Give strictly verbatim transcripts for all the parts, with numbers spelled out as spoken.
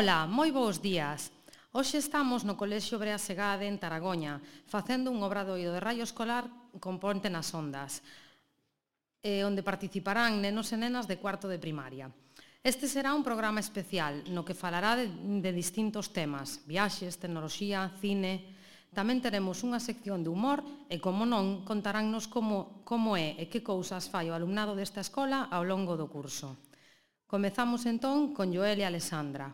Ola, moi bons días. Hoxe estamos no Colexio Brea Segade en Taragoña, facendo un obradoiro de raio escolar con Ponte nas Ondas, eh, onde participarán nenos e nenas de cuarto de primaria. Este será un programa especial no que falará de, de distintos temas, viaxes, tecnoloxía, cine. Tamén teremos unha sección de humor e, como non, contaránnos como, como é e que cousas fai o alumnado desta escola ao longo do curso. Comezamos entón con Joel e Alexandra.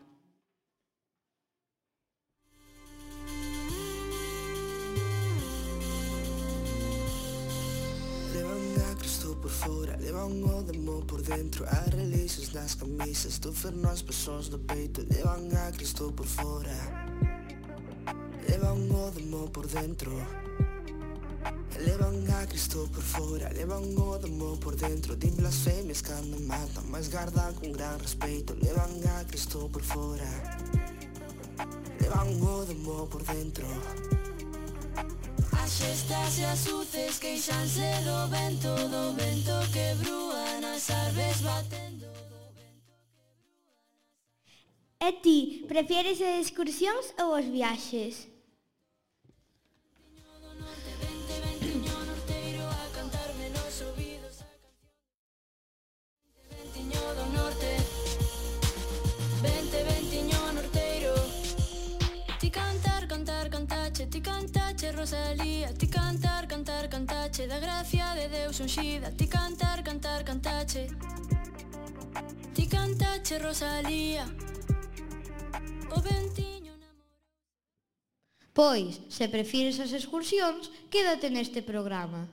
Por fora, levan o demo por dentro. As releases nas camisas, do ferno as pessoas do peito. Levan a Cristo por fora, levan o demo por dentro. Levan a Cristo por fora, levan o demo por dentro. Din blasfemias cando matan, mas gardan con gran respeito. Levan a Cristo por fora, levan o demo por dentro. As xestas e as luces queixanse do vento, do vento que brúa nas árvores batendo, do vento que brúa nas... E ti, prefieres as excursións ou os viaxes? Ti cantache Rosalía, ti cantar, cantar, cantache da gracia de Deus unxida. Ti cantar, cantar, cantache, ti cantache Rosalía, o ventiño namorado. Pois, se prefires as excursións, quédate neste programa.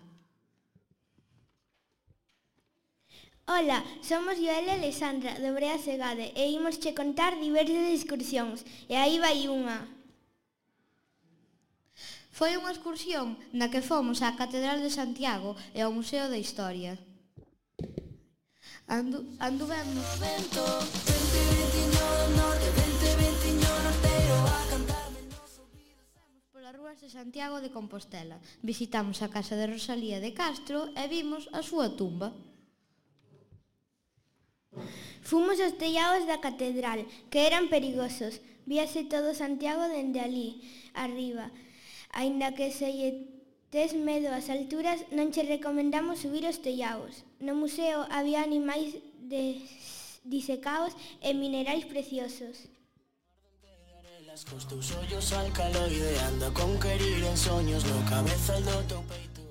Ola, somos Joel e Alexandra, do Brea Segade, e imos che contar diversas excursións, e aí vai unha. Foi unha excursión na que fomos á Catedral de Santiago e ao Museo da Historia. Andu, anduvemos polas rúas de Santiago de Compostela. Visitamos a casa de Rosalía de Castro e vimos a súa tumba. Fomos aos tellados da catedral, que eran perigosos. Víase todo Santiago dende ali, arriba. Aínda que se lle tes medo ás alturas, non che recomendamos subir aos tellados. No museo había animais de disecados e minerais preciosos. Cos teus ollos alcaloide anda con querir en soños no cabezal do teu peito.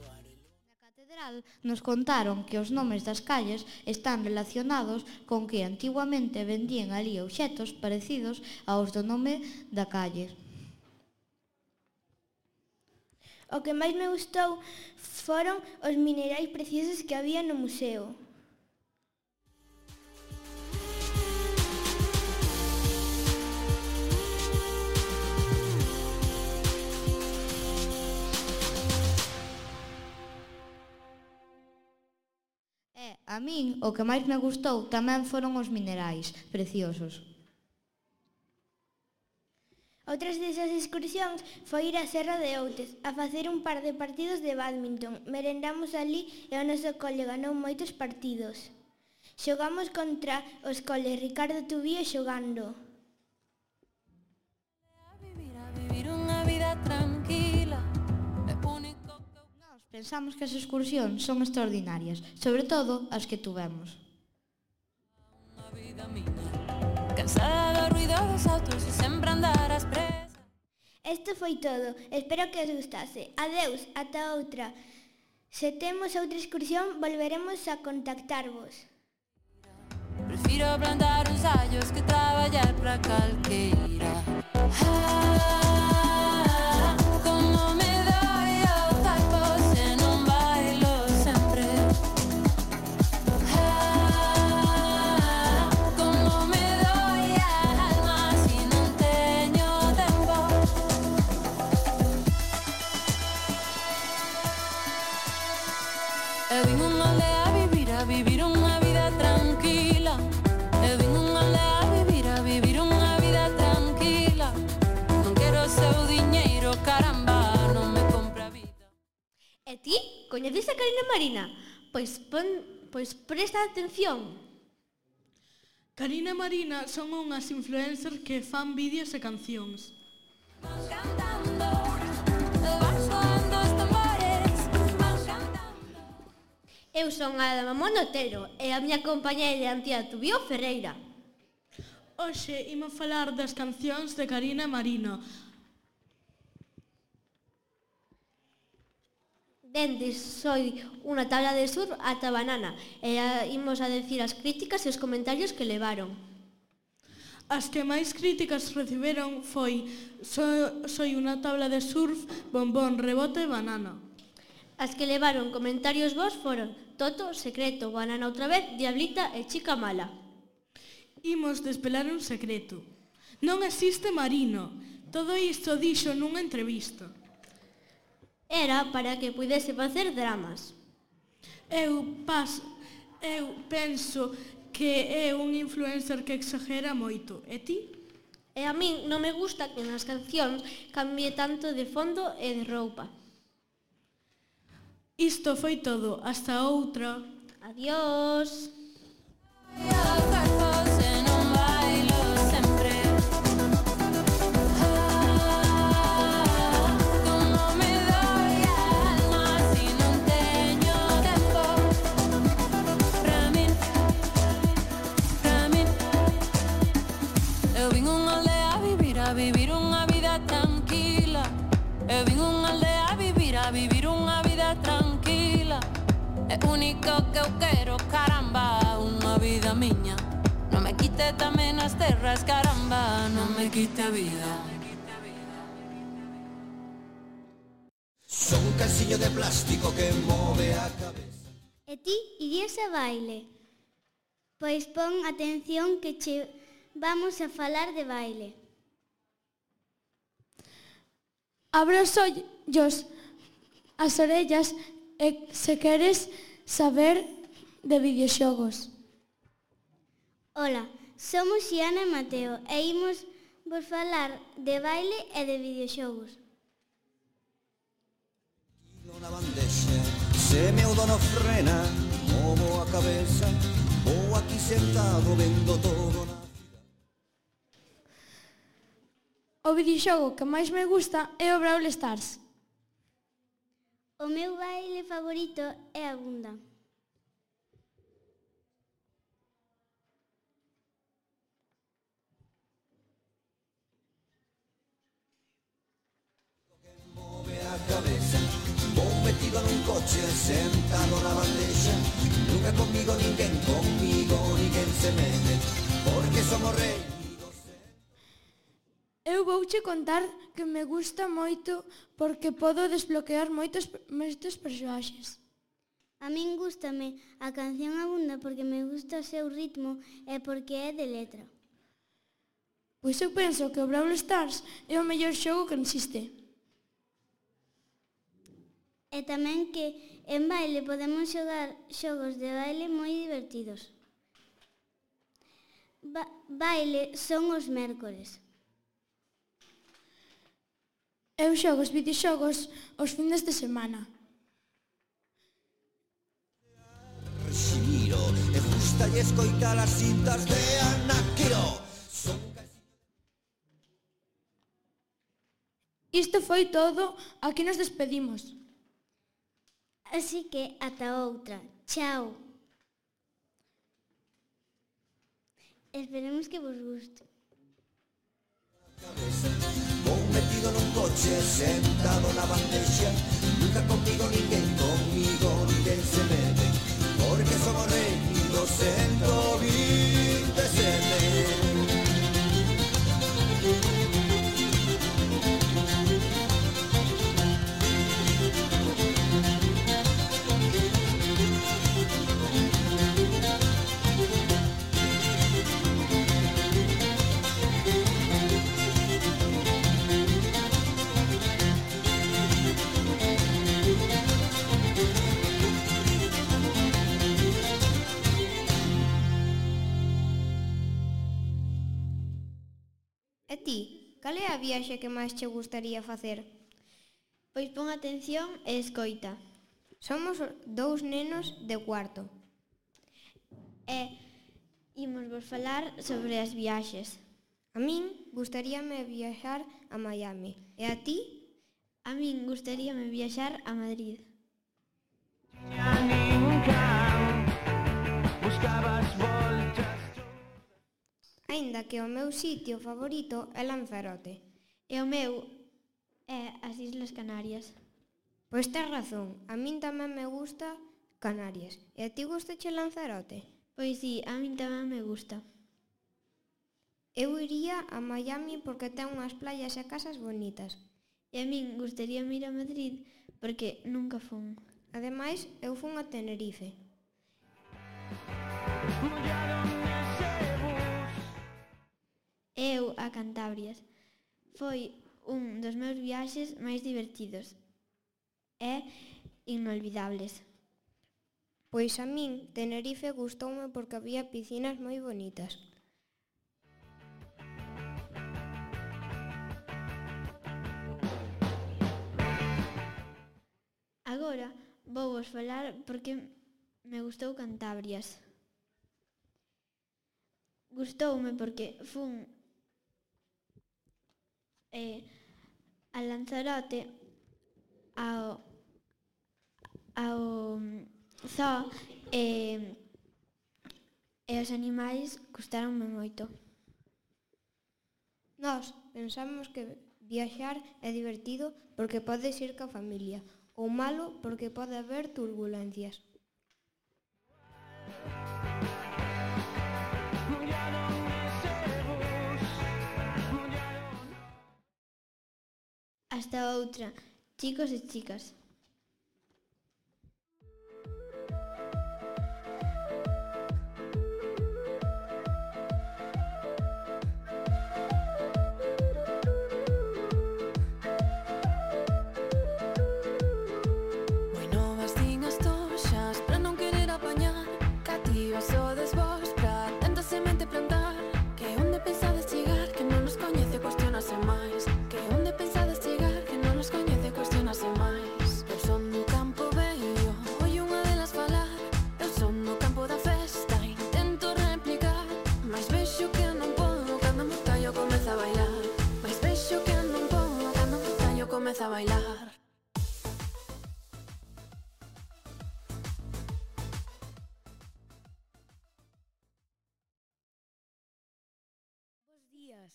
Na catedral nos contaron que os nomes das calles están relacionados con que antiguamente vendían ali obxetos parecidos aos do nome da calle. O que máis me gustou foron os minerais preciosos que había no museo. E, a min, o que máis me gustou tamén foron os minerais preciosos. Outras desas excursións foi ir á Serra de Outes a facer un par de partidos de bádminton. Merendamos ali e o noso cole ganou moitos partidos. Xogamos contra os coles Ricardo Tubío xogando. Nós pensamos que as excursións son extraordinarias, sobre todo as que tuvemos. Cansada do ruido dos autos e sempre andar ás presas. Isto foi todo. Espero que os gustase. Adeus, ata outra. Se temos outra excursión, volveremos a contactarvos. Prefiro ablandar uns allos que traballar para calqueira. Ah, como me doi o taco se non bailo sempre. Ah, como me doi a alma se non teño tempo. Eu vim unha aldea a vivir, a vivir unha vida tranquila. Eu vim unha aldea a vivir, a vivir unha vida tranquila. Non quero seu diñeiro, caramba, non me compra a vida. E ti, coñeces a Carina Marina? Pois, pon, pois presta atención. Karina e Marina son unhas influencers que fan vídeos e cancións. Eu son a Ada Mamón Otero e a miña compañeira Antía Tubío Ferreira. Hoxe imos falar das cancións de Karina e Marina. Dende Soy unha tabla de surf ata Banana e a, imos a decir as críticas e os comentarios que levaron. As que máis críticas reciberon foi so, Soy unha tabla de surf, Bombón, Rebote e Banana. As que levaron comentarios vos foron Toto, Secreto, Banana outra vez, Diablita e Chica Mala. Imos desvelar un secreto. Non existe Marino. Todo isto dixo nunha entrevista. Era para que pudese facer dramas. Eu paso, eu penso que é un influencer que exagera moito. E ti? E a min non me gusta que nas cancións cambie tanto de fondo e de roupa. Isto foi todo. Hasta outra. Adiós. Eu vin unha aldea a vivir, a vivir unha vida tranquila. Eu vin unha aldea a vivir, a vivir unha vida tranquila. É único que eu quero, caramba, unha vida miña. Non me quite tamén as terras, caramba, non me quite a vida. Son un calciño de plástico que move a cabeza. E ti irías a baile? Pois pon atención que che vamos a falar de baile. Abre os ollos, as orellas e se queres saber de videoxogos. Ola, somos Xiana e Mateo e imos vos falar de baile e de videoxogos. Na bandexa, se meu dono frena, movo a cabeza, vou aquí sentado vendo todo na... O videoxogo que máis me gusta é o Brawl Stars. O meu baile favorito é a bunda. Move a cabeza, vou metido nun coche, sentado na bandexa, nunca comigo ninguén, comigo ninguén se mete, porque somos rei. Eu vouche contar que me gusta moito porque podo desbloquear moitos, moitos persoaxes. A min gústame a canción Abunda porque me gusta o seu ritmo e porque é de letra. Pois eu penso que o Brawl Stars é o mellor xogo que existe. E tamén que en baile podemos xogar xogos de baile moi divertidos. Ba baile son os mércores. Eu xogo os videoxogos os fines de semana. Ximiro, e gusta lle escoitar as cintas de Ana Quiro. Son... Isto foi todo, aquí nos despedimos. Así que ata outra. Chao. Esperemos que vos guste. Vou metido nun coche, sentado na bandexa, nunca comigo ninguén, comigo ninguén se mete, porque somos rei do ciento vinte e sete. E ti, cal é a viaxe que máis che gustaría facer? Pois pon atención e escoita. Somos dous nenos de cuarto. E Imos vos falar sobre as viaxes. A min gustaríame viaxar a Miami. E a ti? A min gustaríame viaxar a Madrid. Aínda que o meu sitio favorito é Lanzarote. E o meu é as Islas Canarias. Pois tes razón, a min tamén me gusta Canarias. E a ti gustache Lanzarote? Pois sí, a min tamén me gusta. Eu iría a Miami porque ten unhas playas e casas bonitas. E a min gustaríame ir a Madrid porque nunca fun. Ademais, eu fun a Tenerife. Eu a Cantabrias. Foi un dos meus viaxes máis divertidos e inolvidables. Pois a min Tenerife gustoume porque había piscinas moi bonitas. Agora vou vos falar porque me gustou Cantabrias. Gustoume porque fun eh, a Lanzarote ao, ao zoo e, e os animais gustaronme moito. Nós pensamos que viaxar é divertido porque podes ir ca familia, ou malo porque pode haber turbulencias. Hasta outra, chicos e chicas. Moi novas din as toxas pra non querer apañar, cativas sodes vos pra tanta semente plantar. Que onde pensades chegar, que non nos coñece, cuestionase máis. Que onde pensades chegar, que non nos coñece, cuestionase máis. Eu son do campo vello, oi unha delas falar. Eu son do campo da festa, intento replicar. Mais vexo que non podo, cando me callo comeza a bailar. Mais vexo que non podo, cando me callo comeza a bailar. Bos días.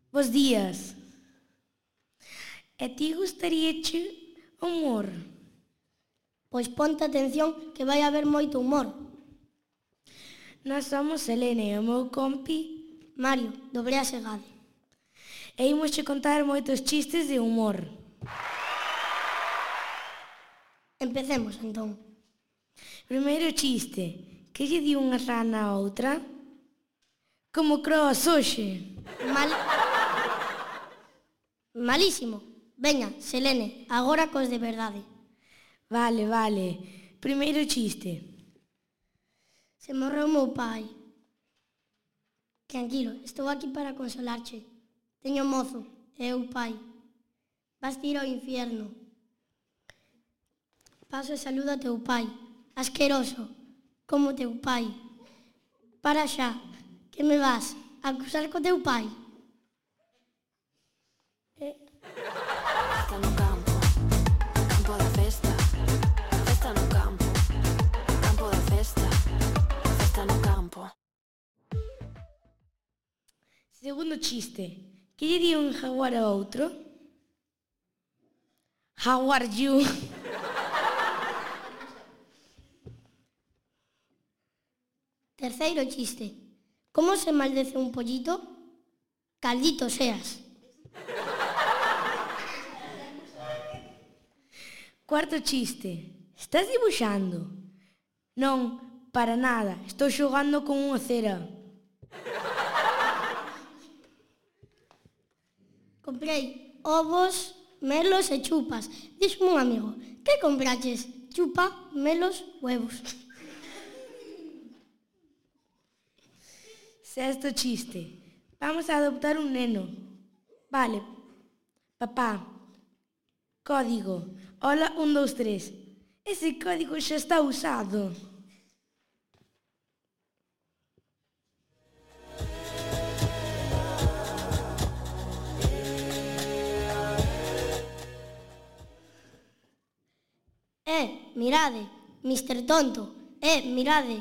Bos días. E ti gustaríache humor? Pois ponte atención que vai haber moito humor. Nós somos Selene e o meu compi Mario, do Brea Segade. e imos che contar moitos chistes de humor. Empecemos, entón. Primeiro chiste. Que lle di unha rana a outra? Como croas hoxe? Mal... Malísimo. Veña, Selene, agora cos de verdade. Vale, vale. Primeiro chiste. Se morreu meu pai. Tranquilo, estou aquí para consolarche. Teño mozo, e eu pai. Vas ir ao infierno. Paso e saludo a teu pai. Asqueroso, como teu pai. Para xa, que me vas a acusar co teu pai. Festa no campo, campo da festa. Festa no campo, campo da festa. Festa no campo. Segundo chiste. Que lle di un jaguar a outro? How are you? Terceiro chiste. Como se maldece un pollito? Caldito seas. Cuarto chiste. Estás dibuixando? Non, para nada. Estou xogando con unha cera. Comprei ovos, melos e chupas. Dixme un amigo, que compraches? Chupa, melos, huevos. Sexto chiste. Vamos a adoptar un neno. Vale. Papá. Código. Hola, un, dous, tres. Ese código xa está usado. mirade, mister Tonto. Eh, mirade,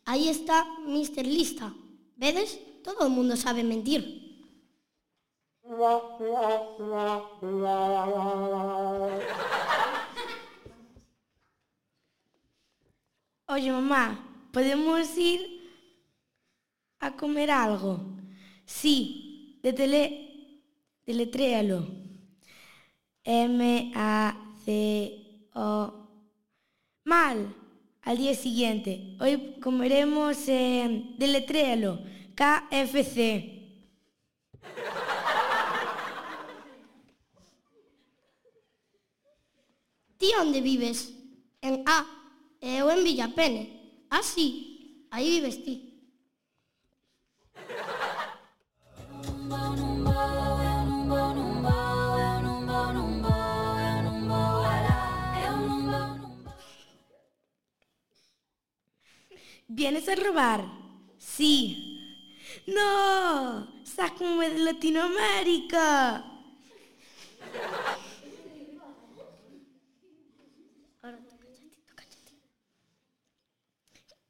aí está mister Lista. Vedes? Todo o mundo sabe mentir. Oye, mamá, podemos ir a comer algo? Sí, de tele... deletréalo. M A C O... Mal. Al día siguiente. Hoy comeremos... Eh, deletréalo. K F C. Ti onde vives? En A. E eu en Villapene. Ah, sí. Aí vives ti. ¿Vienes a robar? Sí. ¡No! ¡Sácame de Latinoamérica!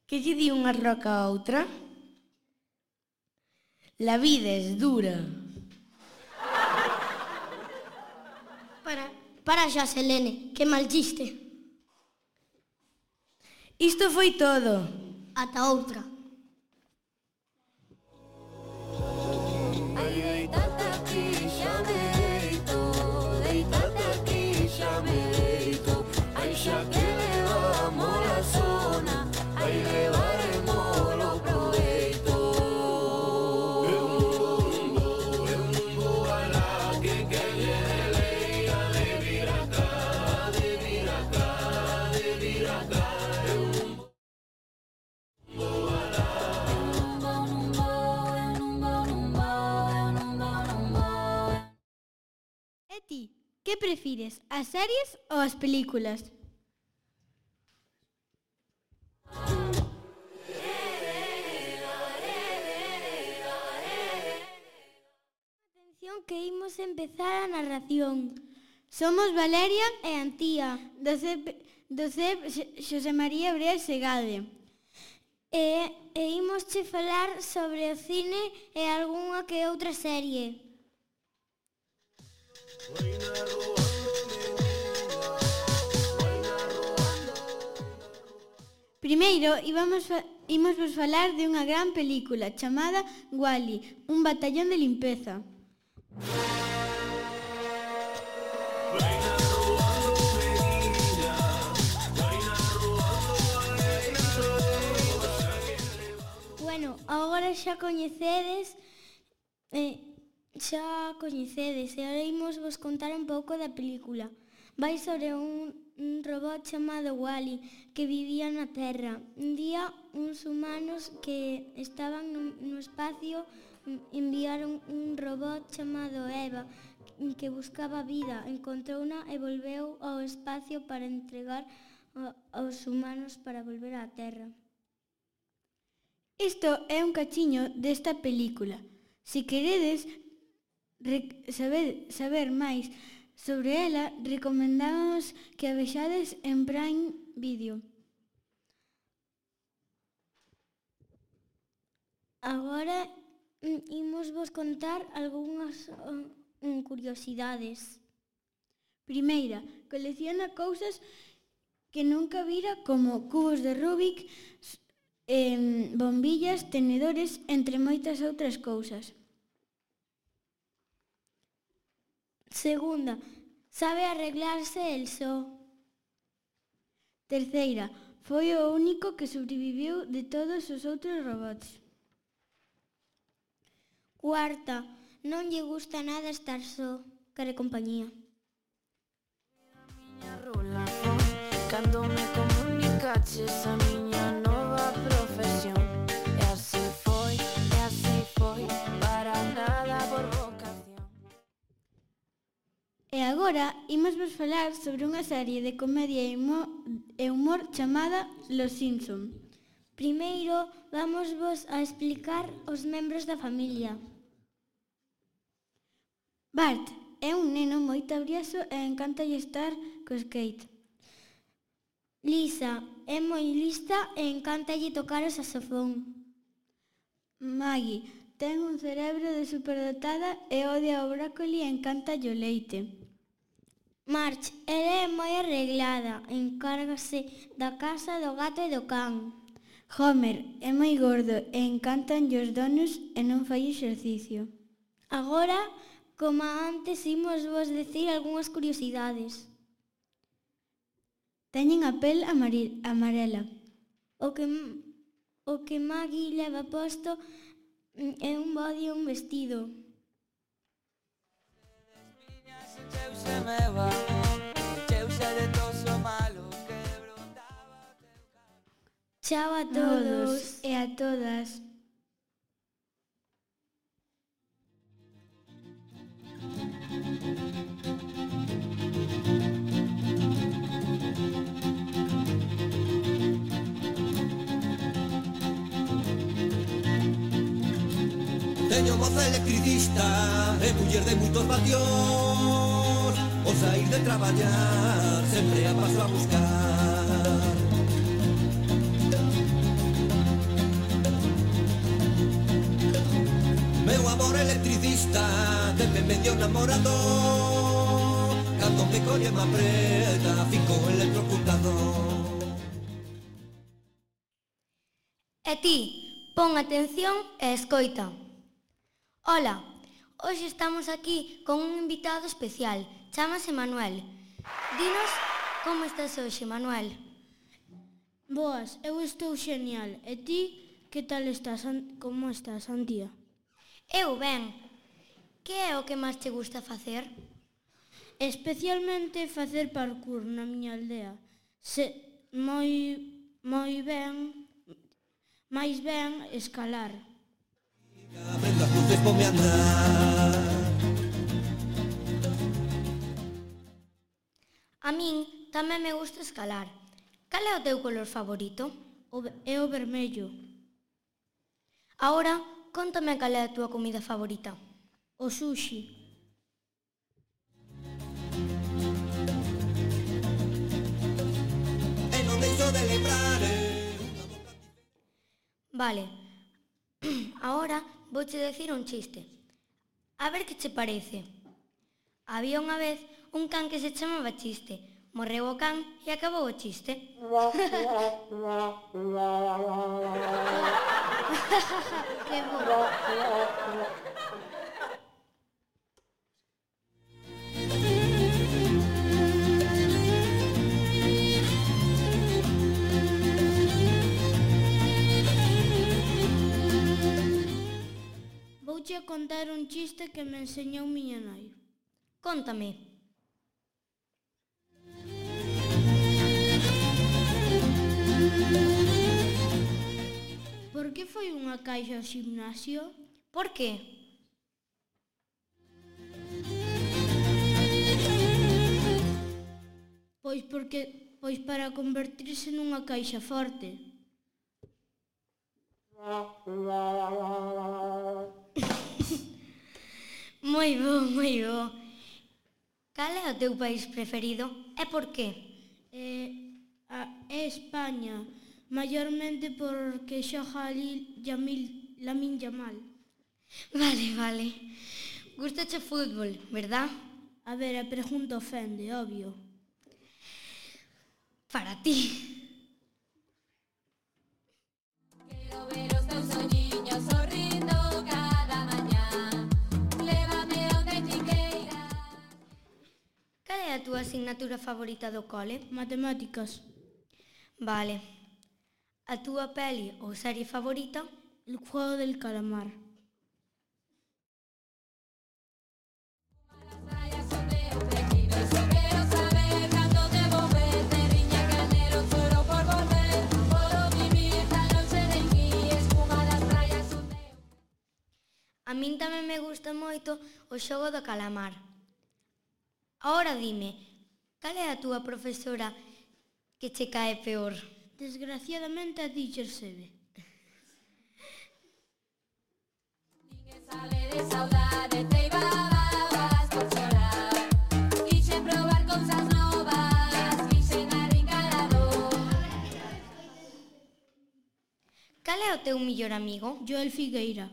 Que lle di unha roca a outra? La vida es dura. Para, para xa, Selene, que mal chiste. Isto foi todo. Ata outra. Ay, deitate aquí, xa me deito, deitate aquí, xa me deito. Ai, xa que levamos la zona, ai, levaremoslo proveito. Eu mundo, eu mundo, alá, que que lle de lei, a de vir acá, de vir acá, de vir acá. Eu mundo, alá. E ti, que prefires, as series ou as películas? Atención que imos empezar a narración. Somos Valeria e Antía, do C E P, do C E P Xosé María Brea Segade. E, e imos che falar sobre o cine e algunha que outra serie. Primeiro, íbamos fa imos vos falar de unha gran película chamada Wall-E, un batallón de limpeza. Bueno, agora xa coñecedes eh, xa coñecedes e agora imos vos contar un pouco da película. Vai sobre un, un robot chamado Wall-E que vivía na Terra. Un día, uns humanos que estaban no, no espacio enviaron un robot chamado Eva que buscaba vida. Encontrouna e volveu ao espacio para entregar aos humanos para volver á Terra. Isto é un cachiño desta película. Se queredes saber, saber máis sobre ela, recomendamos que a vexades en Prime Video. Agora imos vos contar algunhas um, curiosidades. Primeira, colecciona cousas que nunca vira como cubos de Rubik, eh, bombillas, tenedores, entre moitas outras cousas. Segunda, sabe arreglarse el só. Terceira, foi o único que sobreviviu de todos os outros robots. Cuarta, non lle gusta nada estar só, quere compañía. Cando me comunicaches a miña nova profesión. E así foi, e así foi, para nada por vocación. E agora imos vos falar sobre unha serie de comedia e humor chamada Los Simpson. Primeiro, vamos vos a explicar os membros da familia. Bart é un neno moi tabrioso e encántalle estar cos Kate. Lisa é moi lista e encántalle tocar o saxofón. Maggie ten un cerebro de superdotada e odia o brócoli e encanta o leite. March, ela é moi arreglada, encárgase da casa, do gato e do can. Homer é moi gordo e encantan os donuts e non fai exercicio. Agora, como antes, imos vos decir algunhas curiosidades. Teñen a pel amari- amarela. O que, o que Maggie leva posto é un body e un vestido. Chao a todos e a todas. Teño moza electricista e muller de moitos vatios. O saír de traballar sempre a paso a buscar. Meu amor electricista sempre me dio namorado. Cando me colle me apreta, fico electrocutado. E ti, pon atención e escoita. Ola, hoxe estamos aquí con un invitado especial, chámase Manuel. Dinos como estás hoxe, Manuel. Boas, eu estou xenial. E ti, que tal estás? Como estás, Antía? Eu ben. Que é o que máis te gusta facer? Especialmente facer parkour na miña aldea. Se moi moi ben, máis ben escalar. Aprendo as luces, ponme a andar. A min tamén me gusta escalar. Cal é o teu color favorito? O, é o vermello. Agora, contame cal é a túa comida favorita. O sushi. E non deixo de lembrar. Vale. Agora vouche decir un chiste. A ver que che parece. Había unha vez un can que se chamaba Chiste. Morreu o can e acabou o chiste. Que bo. Vouche contar un chiste que me enseñou miña nai. Cóntame. Por que foi unha caixa ao gimnasio? Por que? Pois porque pois para convertirse nunha caixa forte. Moi bo, moi bo. Cal é o teu país preferido e por qué? É, a, é España, maiormente porque xoga ali Yamil, Lamin Yamal. Vale, vale. Gustache o fútbol, verdad? A ver, a pregunta ofende, obvio. Para ti. Quero ver os teus olliños sorrindo cada mañá. Lévame onde ti queiras. Cal é a túa asignatura favorita do cole? Matemáticas. Vale. A túa peli ou serie favorita? El juego del calamar. A min tamén me gusta moito o xogo do calamar. Agora dime, cal é a túa profesora que che cae peor? Desgraciadamente a teacher Sebe. Ninguén sale de saudade, te ibabas por chorar. Quixen probar cousas novas, quixen arrincar a dor. é o teu millor amigo? Joel Figueira.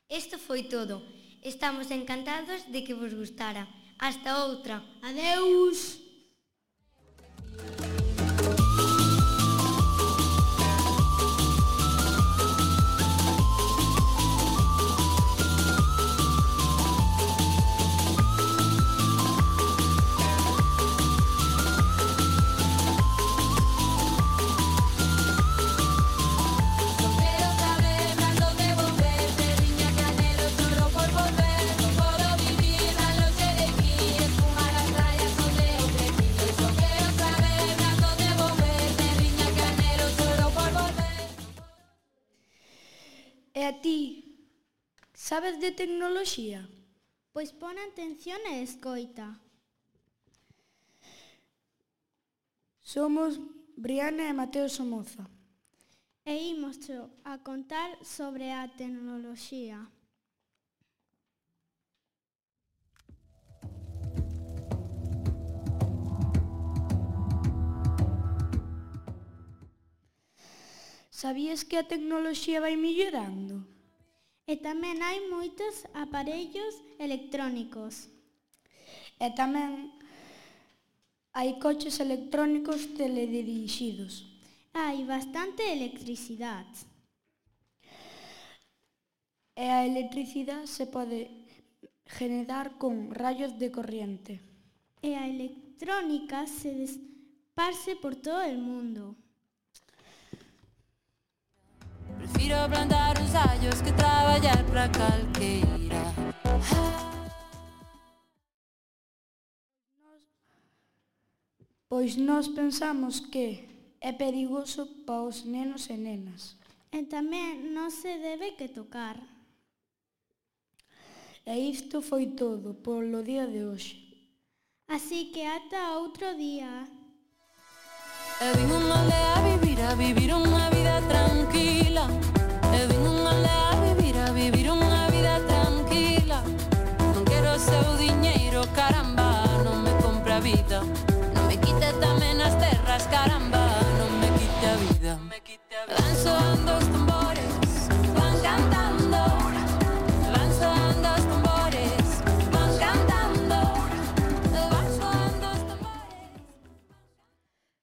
Isto foi todo. Estamos encantados de que vos gustara. Hasta outra. Adeus. E a ti, sabes de tecnoloxía? Pois pon atención e escoita. Somos Briana e Mateo Somoza. E imos a contar sobre a tecnoloxía. Sabías que a tecnoloxía vai mellorando? E tamén hai moitos aparellos electrónicos. E tamén hai coches electrónicos teledirixidos. Hai bastante electricidade. E a electricidade se pode generar con rayos de corriente. E a electrónica se esparce por todo o mundo. Prefiro plantar uns allos que traballar pra calqueira. Pois nós pensamos que é perigoso para os nenos e nenas. E tamén non se debe que tocar. E isto foi todo polo día de hoxe. Así que ata outro día. Eu vim unha aldea a vivir, a vivir unha vida tranquila. Eu vim unha aldea a vivir, a vivir unha vida tranquila. Non quero seu diñeiro, caramba, non me compra a vida. Non me quite tamén as terras, caramba, non me quite a vida. Van soando os tambores, van cantando. Van soando os tambores, van cantando. Van soando os tambores.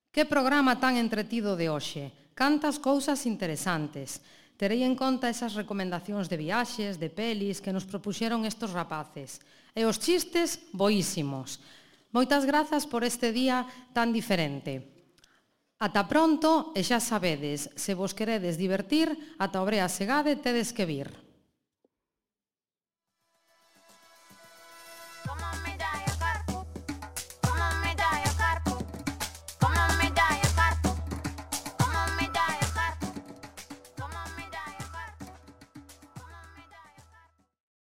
Que programa tan entretido de hoxe. Cantas cousas interesantes. Terei en conta esas recomendacións de viaxes, de pelis que nos propuxeron estos rapaces. E os chistes, boísimos. Moitas grazas por este día tan diferente. Ata pronto e xa sabedes, se vos queredes divertir, ata Obrea Segade tedes que vir.